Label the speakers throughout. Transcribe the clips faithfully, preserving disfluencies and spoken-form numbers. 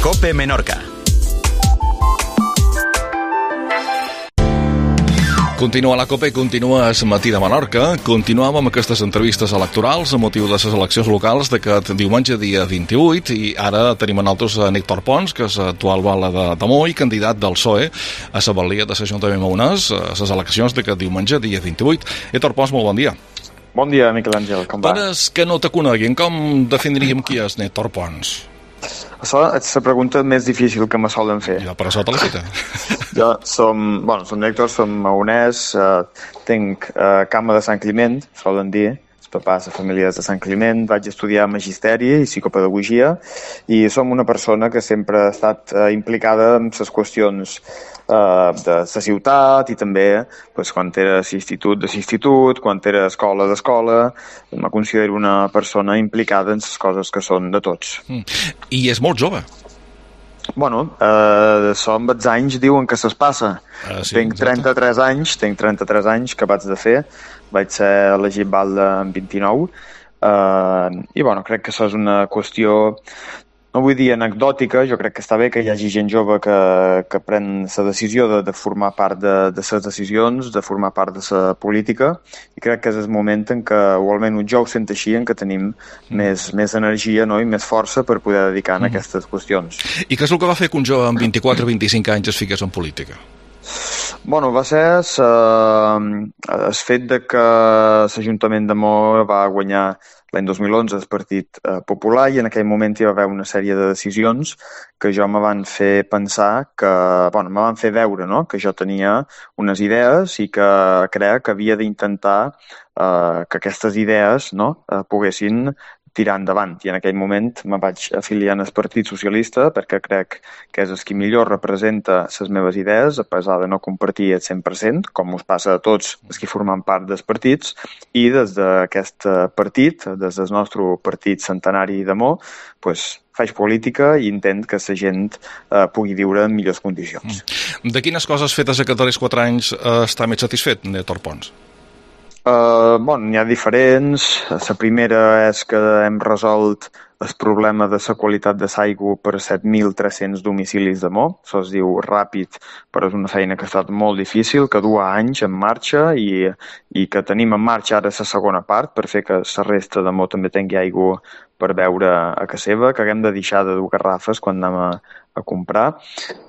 Speaker 1: COPE Menorca.
Speaker 2: Continua la COPE, continua el matí de Menorca. Continuam amb aquestes entrevistes electorals a motiu de les eleccions locals d'aquest diumenge, dia vint-i-vuit, i ara tenim a nosaltres a Héctor Pons, que és actual bala de Tamó i candidat del P S O E a la balia de l'Ajuntament Maonès a les eleccions d'aquest diumenge, dia vint-i-vuit. Héctor Pons, molt bon dia.
Speaker 3: Bon dia, Miquel Àngel, com va?
Speaker 2: Per als que no te coneguin, com definiríem qui és Héctor Pons?
Speaker 3: Això és la pregunta més difícil que me solen fer.
Speaker 2: Ja, per això te la feta.
Speaker 3: Jo som, bueno, som Héctor, som maonès, eh, tinc eh, cama de Sant Climent, solen dir, els papàs de famílies de Sant Climent, vaig estudiar magisteri i psicopedagogia i som una persona que sempre ha estat eh, implicada en les qüestions eh, de la ciutat i també pues, quan era institut de l'institut, quan era escola d'escola, me considero una persona implicada en les coses que són de tots.
Speaker 2: Mm. I és molt jove.
Speaker 3: Bueno, eh, som els anys diuen que se'ls passa.
Speaker 2: Ah, sí,
Speaker 3: tinc trenta-tres anys, tinc trenta-tres anys que vaig de fer, vaig ser elegit balda amb vint-i-nou, eh, i bueno, crec que això és una qüestió, no vull dir anecdòtica, jo crec que està bé que hi hagi gent jove que, que pren la decisió de, de formar part de, de les decisions, de formar part de la política, i crec que és el moment en què, o almenys jo ho sento així, en què tenim mm. més, més energia, no? I més força per poder dedicar a mm. aquestes qüestions.
Speaker 2: I què és el que va fer que un jove amb vint-i-quatre o vint-i-cinc anys es fiqués en política?
Speaker 3: Bueno, va ser el fet de que l'Ajuntament de Mo va guanyar l'any dos mil onze el Partit eh, Popular i en aquell moment hi va haver una sèrie de decisions que jo me van fer pensar que, bueno, me van fer veure, no?, que jo tenia unes idees i que crec que havia d'intentar eh, que aquestes idees, no?, eh, poguessin tirar endavant. I en aquell moment me vaig afiliar al Partit Socialista perquè crec que és el que millor representa les meves idees, a pesar de no compartir el cent per cent, com us passa a tots els que formen part dels partits, i des d'aquest partit, des del nostre partit centenari de Mo, pues, faig política i intent que la gent eh, pugui viure en millors condicions.
Speaker 2: De quines coses fetes aquests darrers quatre anys eh, està més satisfet, Héctor Pons?
Speaker 3: Uh, bueno, n'hi ha diferents. La primera és que hem resolt el problema de la qualitat de l'aigua per set mil tres-cents domicilis de Mo. Això es diu ràpid, però és una feina que ha estat molt difícil, que du anys en marxa i, i que tenim en marxa ara la segona part per fer que la resta de Mo també tingui aigua per beure a casa seva, que haguem de deixar de dur garrafes quan anem a, a comprar.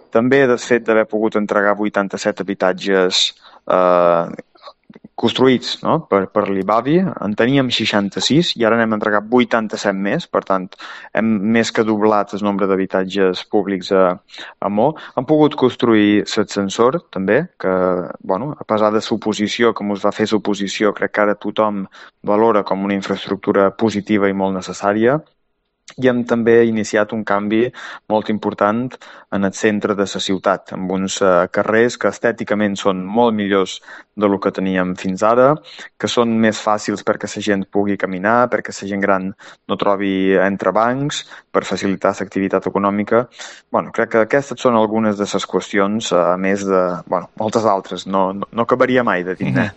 Speaker 3: També del fet d'haver pogut entregar vuitanta-set habitatges eh, construïts, no?, per, per l'I B A V I. En teníem seixanta-sis i ara n'hem entregat vuitanta-set més, per tant, hem més que doblat el nombre d'habitatges públics a, a Mo. Hem pogut construir l'ascensor, també, que, bueno, a pesar de l'oposició, que ens va fer l'oposició, crec que ara tothom valora com una infraestructura positiva i molt necessària. I hem també iniciat un canvi molt important en el centre de la ciutat, amb uns uh, carrers que estèticament són molt millors de lo que teníem fins ara, que són més fàcils perquè la gent pugui caminar, perquè la gent gran no trobi entrebancs, per facilitar l'activitat econòmica. Bueno, crec que aquestes són algunes de les qüestions, a més de, bueno, moltes altres. No, no, no acabaria mai de dir, mm -hmm.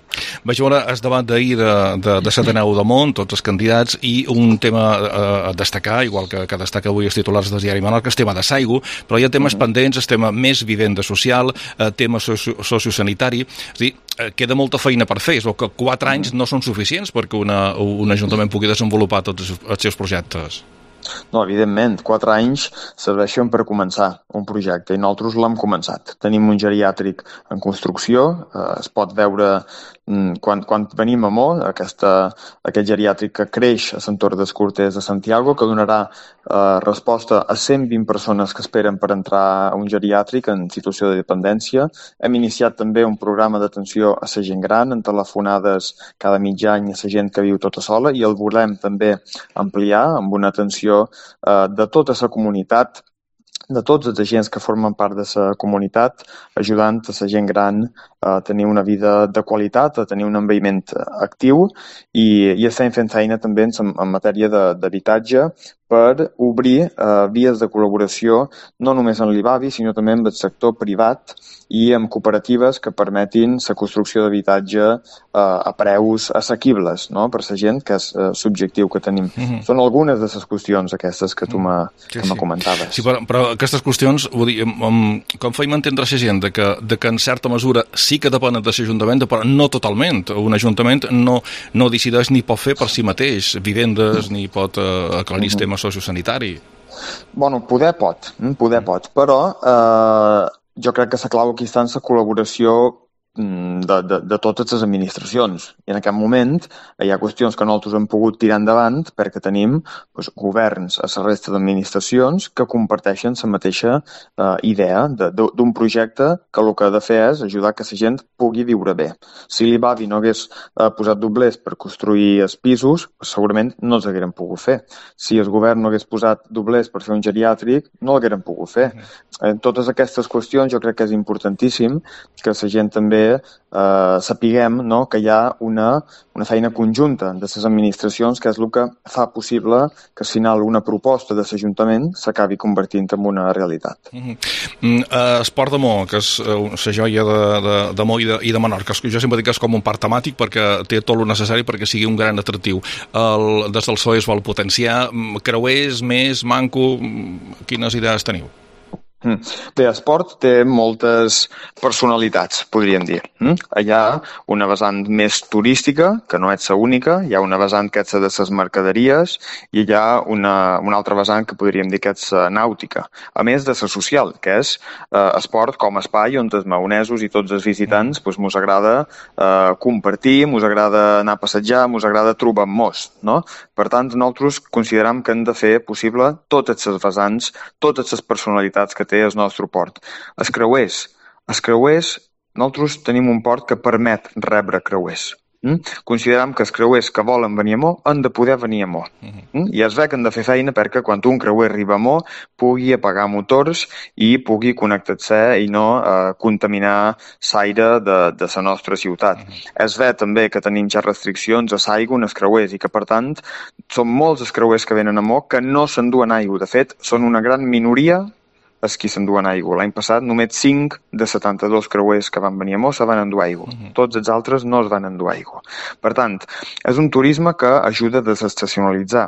Speaker 2: Vaig veure el debat d'ahir de, de, de Sataneu de Mont, tots els candidats, i un tema eh, a destacar, igual que, que destaca avui els titulars del diari Menorca, el tema de l'aigua, però hi ha temes mm -hmm. pendents, el tema més vivenda social, eh, tema socio sociosanitari, és a dir, eh, queda molta feina per fer, és que quatre anys no són suficients perquè una, un ajuntament pugui desenvolupar tots els seus projectes.
Speaker 3: No, evidentment, quatre anys serveixen per començar un projecte i nosaltres l'hem començat. Tenim un geriàtric en construcció, eh, es pot veure quan, quan venim a Mo, aquesta, aquest geriàtric que creix a l'entorn dels Corters de Santiago, que donarà eh, resposta a cent vint persones que esperen per entrar a un geriàtric en situació de dependència. Hem iniciat també un programa d'atenció a la gent gran, en telefonades cada mig any a la gent que viu tota sola, i el volem també ampliar amb una atenció eh, de tota la comunitat, de tots els agents que formen part de la comunitat, ajudant a la gent gran a tenir una vida de qualitat, a tenir un envelliment actiu i, i estem fent feina també en, en matèria d'habitatge per obrir eh, vies de col·laboració no només en l'I B A B I, sinó també amb el sector privat i amb cooperatives que permetin la construcció d'habitatge eh, a preus assequibles, no?, per la gent, que és eh, l'objectiu que tenim. Mm-hmm. Són algunes de les qüestions aquestes que tu m'ha sí, sí. comentaves.
Speaker 2: Sí, però, però aquestes qüestions, vull dir, com feim entendre la gent de que, de que en certa mesura sí que depenen de l'Ajuntament, però no totalment. Un Ajuntament no, no decideix ni pot fer per si mateix vivendes, ni pot eh, aclarir el tema sociosanitari.
Speaker 3: Bueno, poder pot, poder pot, però eh, jo crec que la clau aquí està en la col·laboració de, de, de totes les administracions. I en aquest moment hi ha qüestions que nosaltres hem pogut tirar endavant perquè tenim doncs, governs a la resta d'administracions que comparteixen la mateixa eh, idea d'un projecte que el que ha de fer és ajudar que la gent pugui viure bé. Si l'I B A B I no hagués eh, posat doblers per construir els pisos, segurament no els hagueren pogut fer. Si el govern no hagués posat doblers per fer un geriàtric, no l'hagueren pogut fer. En totes aquestes qüestions jo crec que és importantíssim que la gent també eh, sapiguem, no?, que hi ha una, una feina conjunta de les administracions que és el que fa possible que al final una proposta de l'Ajuntament s'acabi convertint en una realitat.
Speaker 2: Mm-hmm. Mm, uh, Esport de Mo, que és uh, la joia de, de, de Mo i de, i de Menorca, jo sempre dic que és com un parc temàtic perquè té tot el necessari perquè sigui un gran atractiu. El, des del P S O E es vol potenciar. Creuers, més, manco, quines idees teniu?
Speaker 3: Bé, esport té moltes personalitats, podríem dir. Hi ha una vessant més turística, que no és la única, hi ha una vessant que és la de les mercaderies i hi ha una, una altra vessant que podríem dir que és la nàutica, a més de la social, que és eh, esport com a espai on els maonesos i tots els visitants doncs, mos agrada eh, compartir, mos agrada anar a passejar, mos agrada trobar-nos, no? Per tant, nosaltres considerem que hem de fer possible totes les vessants, totes les personalitats que té el nostre port. Els creuers. Els creuers, nosaltres tenim un port que permet rebre creuers. Mm? Considerem que els creuers que volen venir a Mo han de poder venir a Mo. Mm? I es ve que han de fer feina perquè quan un creuer arriba a Mo pugui apagar motors i pugui connectar-se i no eh, contaminar l'aire de, de la nostra ciutat. Mm. Es ve també que tenim ja restriccions a l'aigua en els creuers i que, per tant, són molts els creuers que venen a Mo que no s'enduen aigua. De fet, són una gran minoria els qui s'enduen aigua. L'any passat només cinc de setanta-dos creuers que van venir a Mo se van endur aigua. Uh-huh. Tots els altres no es van endur aigua. Per tant, és un turisme que ajuda a desestacionalitzar,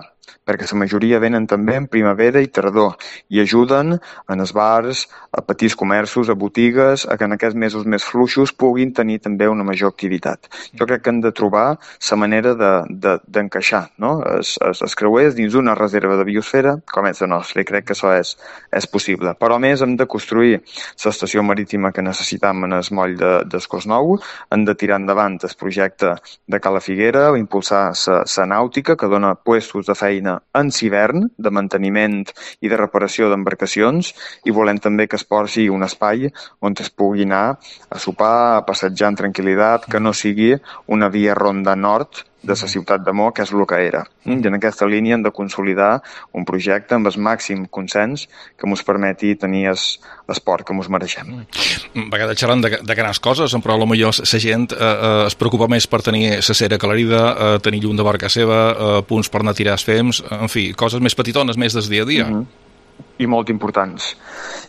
Speaker 3: perquè la majoria venen també en primavera i tardor i ajuden en els bars, a petits comerços, a botigues, a que en aquests mesos més fluixos puguin tenir també una major activitat. Jo crec que hem de trobar la manera d'encaixar de, de, no? els, els, els creuers dins una reserva de biosfera com és la nostra, i crec que això és, és possible. Però a més hem de construir l'estació marítima que necessitam en el moll de, d'Escós Nou, hem de tirar endavant el projecte de Cala Figuera, impulsar la nàutica que dona puestos de feina en l'hivern, de manteniment i de reparació d'embarcacions, i volem també que es porti un espai on es pugui anar a sopar, a passejar en tranquil·litat, que no sigui una via ronda nord de la ciutat de Mo, que és el que era. I en aquesta línia hem de consolidar un projecte amb el màxim consens que ens permeti tenir l'esport que ens mereixem.
Speaker 2: A vegades xerrant de, de grans coses, però potser la gent eh, eh, es preocupa més per tenir la cera aclarida, eh, tenir llum de barca seva, eh, punts per anar a tirar els fems, en fi, coses més petitones, més del dia a dia.
Speaker 3: Mm-hmm. I molt importants.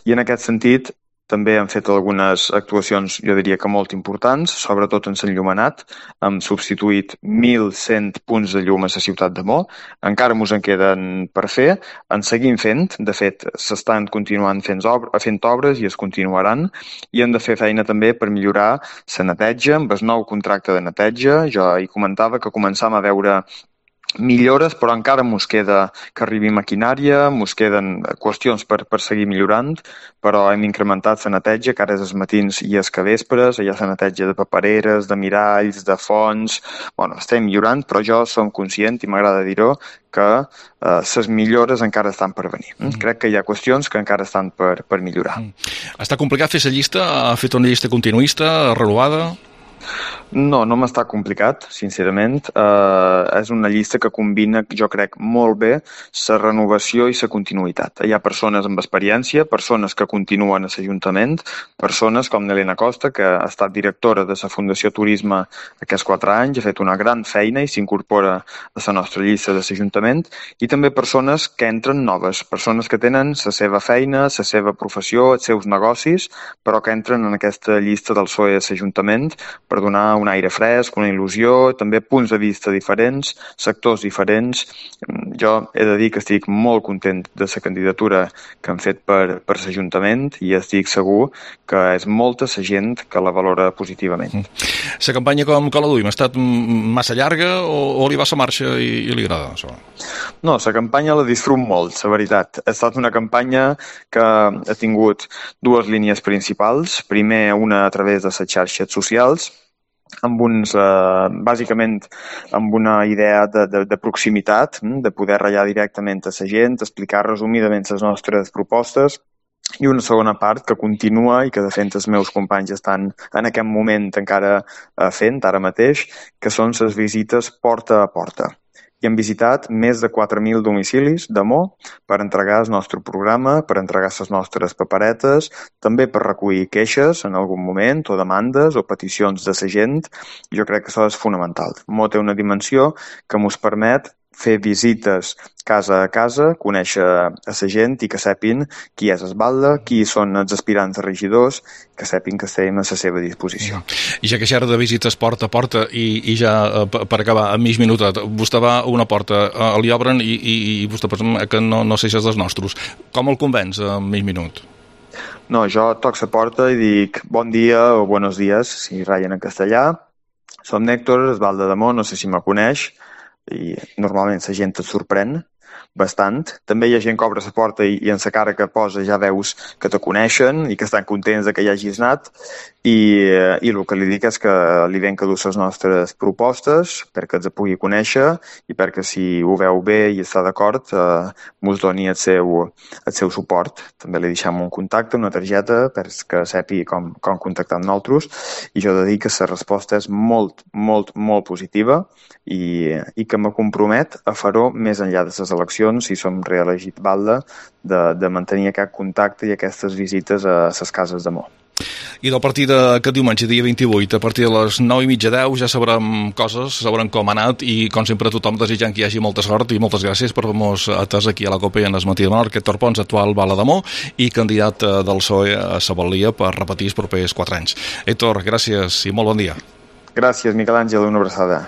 Speaker 3: I en aquest sentit, també hem fet algunes actuacions, jo diria que molt importants, sobretot en l'enllumenat. Hem substituït mil cent punts de llum a la ciutat de Mo. Encara ens en queden per fer. En seguim fent. De fet, s'estan continuant fent, obres, fent obres i es continuaran. I hem de fer feina també per millorar la neteja, amb el nou contracte de neteja. Jo hi comentava que començam a veure millores, però encara mos queda que arribi maquinària, mos queden qüestions per, per seguir millorant, però hem incrementat la neteja, que ara és els matins i els vespres, hi ha la neteja de papereres, de miralls, de fonts. Bueno, estem millorant, però jo som conscient, i m'agrada dir-ho, que les eh, millores encara estan per venir. Mm. Crec que hi ha qüestions que encara estan per, per millorar.
Speaker 2: Mm. Està complicat fer la llista? Ha fet una llista continuista, renovada?
Speaker 3: No, no m'està complicat, sincerament. Uh, és una llista que combina, jo crec, molt bé la renovació i la continuïtat. Hi ha persones amb experiència, persones que continuen a l'Ajuntament, persones com Nelena Costa, que ha estat directora de la Fundació Turisme aquests quatre anys, ha fet una gran feina i s'incorpora a la nostra llista de l'Ajuntament, i també persones que entren noves, persones que tenen la seva feina, la seva professió, els seus negocis, però que entren en aquesta llista del P S O E a l'Ajuntament per donar un aire fresc, una il·lusió, també punts de vista diferents, sectors diferents. Jo he de dir que estic molt content de la candidatura que han fet per, per l'Ajuntament i estic segur que és molta la gent que la valora positivament.
Speaker 2: La campanya com, com la duim? Ha estat massa llarga o, o li va a la marxa i, i li agrada això?
Speaker 3: No, la campanya la disfrut molt, la veritat. Ha estat una campanya que ha tingut dues línies principals. Primer, una a través de les xarxes socials, amb uns, eh, bàsicament amb una idea de, de, de proximitat, de poder ratllar directament a la gent, explicar resumidament les nostres propostes, i una segona part que continua i que de fet els meus companys estan en aquest moment encara fent, ara mateix, que són les visites porta a porta. I hem visitat més de quatre mil domicilis de Mo per entregar el nostre programa, per entregar les nostres paperetes, també per recollir queixes en algun moment, o demandes, o peticions de la gent. Jo crec que això és fonamental. Mo té una dimensió que ens permet fer visites casa a casa, conèixer a la gent i que sapin qui és Esbalda, qui són els aspirants a regidors, que sapin que estem a la seva disposició.
Speaker 2: I ja que xerra de visites porta a porta i, i ja per acabar, a mig minutet, vostè va a una porta, li obren i, i, i vostè pensa que no, no sé si és dels nostres. Com el convenç a mig minut?
Speaker 3: No, jo toc la porta i dic bon dia o buenos días, si ratllen en castellà. Som Néctor, Esbalda de Mo, no sé si me coneix, i normalment la gent et sorprèn bastant. També hi ha gent que obre la porta i, i en la cara que posa ja veus que te coneixen i que estan contents de que hi hagis anat, i, i el que li dic és que li ven que dur les nostres propostes perquè els pugui conèixer i perquè si ho veu bé i està d'acord eh, mos doni el seu, el seu suport. També li deixem un contacte, una targeta perquè sepi com, com contactar amb nosaltres, i jo he de dir que la resposta és molt, molt, molt positiva i, i que me compromet a fer-ho més enllà de les eleccions, si som reelegit Balda, de, de mantenir aquest contacte i aquestes visites a les cases de Mo.
Speaker 2: I del partit d'aquest diumenge, dia vint-i-vuit, a partir de les nou i mitja deu, ja sabrem coses, sabrem com ha anat i, com sempre, tothom desitjant que hi hagi molta sort i moltes gràcies per haver-nos atès aquí a la Copa i en el matí de Menorca. Héctor Pons, actual Bala de Mo i candidat del P S O E a la Balia per repetir els propers quatre anys. Héctor, gràcies i molt bon dia.
Speaker 3: Gràcies, Miquel Àngel, una abraçada.